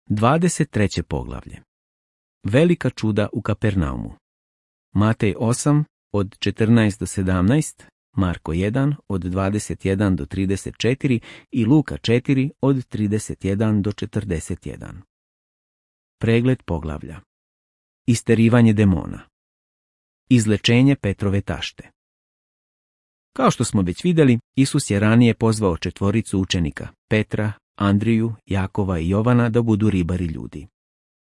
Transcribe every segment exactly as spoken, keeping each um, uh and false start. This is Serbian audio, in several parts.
dvadeset treće poglavlje. Velika čuda u Kapernaumu. Matej osam od četrnaest do sedamnaest, Marko jedan od dvadeset jedan do trideset četiri i Luka četiri od trideset jedan do četrdeset jedan. Pregled poglavlja. Isterivanje demona. Izlečenje Petrove tašte. Kao što smo već vidjeli, Isus je ranije pozvao četvoricu učenika, Petra, Andriju, Jakova i Jovana, da budu ribari ljudi.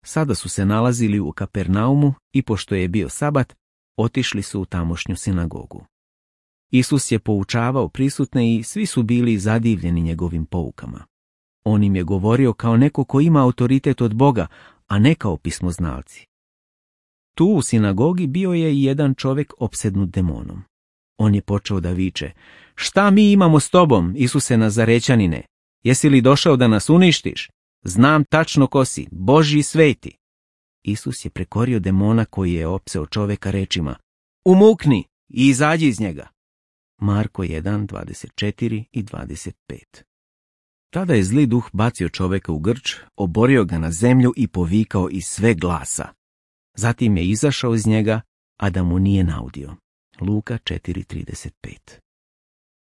Sada su se nalazili u Kapernaumu i pošto je bio sabat, otišli su u tamošnju sinagogu. Isus je poučavao prisutne i svi su bili zadivljeni njegovim poukama. On im je govorio kao neko ko ima autoritet od Boga, a ne kao pismoznalci. Tu u sinagogi bio je i jedan čovjek opsednut demonom. On je počeo da viče: "Šta mi imamo s tobom, Isuse Nazarećanine? Jesi li došao da nas uništiš? Znam tačno ko si, Božji sveti." Isus je prekorio demona koji je opseo čovjeka rečima: "Umukni i izađi iz njega." Marko jedan, dvadeset četiri i dvadeset pet. Tada je zli duh bacio čovjeka u grč, oborio ga na zemlju i povikao iz sve glasa. Zatim je izašao iz njega, a da mu nije naudio. Luka četiri trideset pet.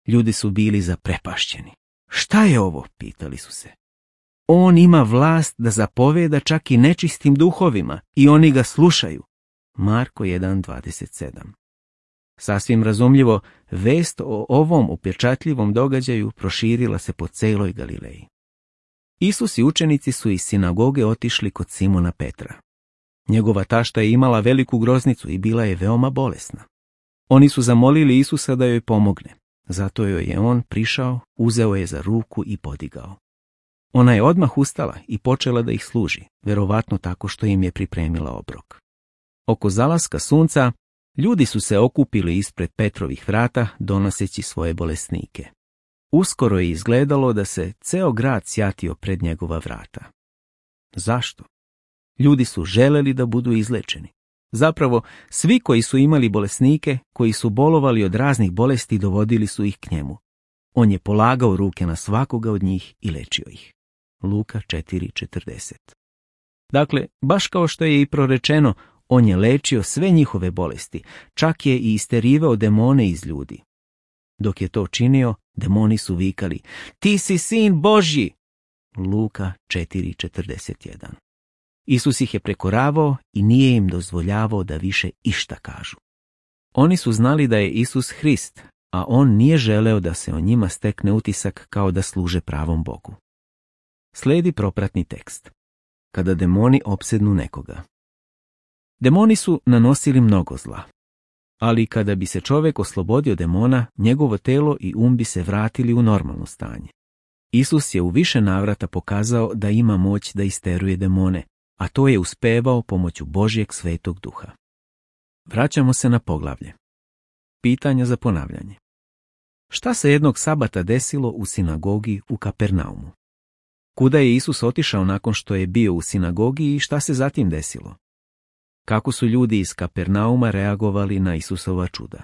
Ljudi su bili zaprepašćeni. "Šta je ovo?" pitali su se. "On ima vlast da zapoveda čak i nečistim duhovima i oni ga slušaju." Marko jedan dvadeset sedam. Sasvim razumljivo, vest o ovom upečatljivom događaju proširila se po celoj Galileji. Isus i učenici su iz sinagoge otišli kod Simona Petra. Njegova tašta je imala veliku groznicu i bila je veoma bolesna. Oni su zamolili Isusa da joj pomogne. Zato joj je on prišao, uzeo je za ruku i podigao. Ona je odmah ustala i počela da ih služi, verovatno tako što im je pripremila obrok. Oko zalaska sunca, ljudi su se okupili ispred Petrovih vrata, donoseći svoje bolesnike. Uskoro je izgledalo da se ceo grad sjatio pred njegova vrata. Zašto? Ljudi su želeli da budu izlečeni. Zapravo, svi koji su imali bolesnike, koji su bolovali od raznih bolesti, dovodili su ih k njemu. On je polagao ruke na svakoga od njih i lečio ih. Luka četiri četrdeset. Dakle, baš kao što je i prorečeno, on je lečio sve njihove bolesti, čak je i isterivao demone iz ljudi. Dok je to činio, demoni su vikali: "Ti si sin Božji!" Luka četiri četrdeset jedan. Isus ih je prekoravao i nije im dozvoljavao da više išta kažu. Oni su znali da je Isus Hrist, a on nije želeo da se o njima stekne utisak kao da služe pravom Bogu. Slijedi propratni tekst. Kada demoni opsednu nekoga. Demoni su nanosili mnogo zla, ali kada bi se čovjek oslobodio demona, njegovo telo i um bi se vratili u normalno stanje. Isus je u više navrata pokazao da ima moć da isteruje demone, a to je uspevao pomoću Božjeg svetog duha. Vraćamo se na poglavlje. Pitanja za ponavljanje. Šta se jednog sabata desilo u sinagogi u Kapernaumu? Kuda je Isus otišao nakon što je bio u sinagogi i šta se zatim desilo? Kako su ljudi iz Kapernauma reagovali na Isusova čuda?